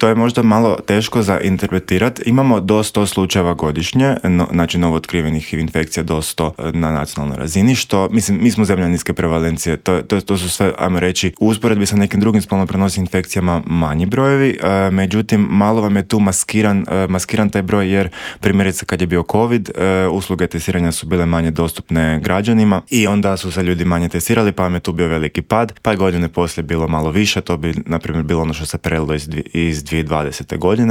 To je možda malo teško za interpretirati. Imamo do 100 slučajeva godišnje, znači novo otkrivenih HIV infekcija do 100 na nacionalnoj razini, što, mislim, mi smo zemlja niske prevalencije, to su sve, ajmo reći, u usporedbi sa nekim drugim spolno prenosivim infekcijama manji brojevi, međutim, malo vam je tu maskiran taj broj, jer primjerice kad je bio COVID, usluge testiranja su bile manje dostupne građanima i onda su se ljudi manje testirali, pa vam je tu bio veliki pad, pa je godine poslije bilo malo više, to bi, na primjer, bilo ono što se prelilo iz 2020. godine,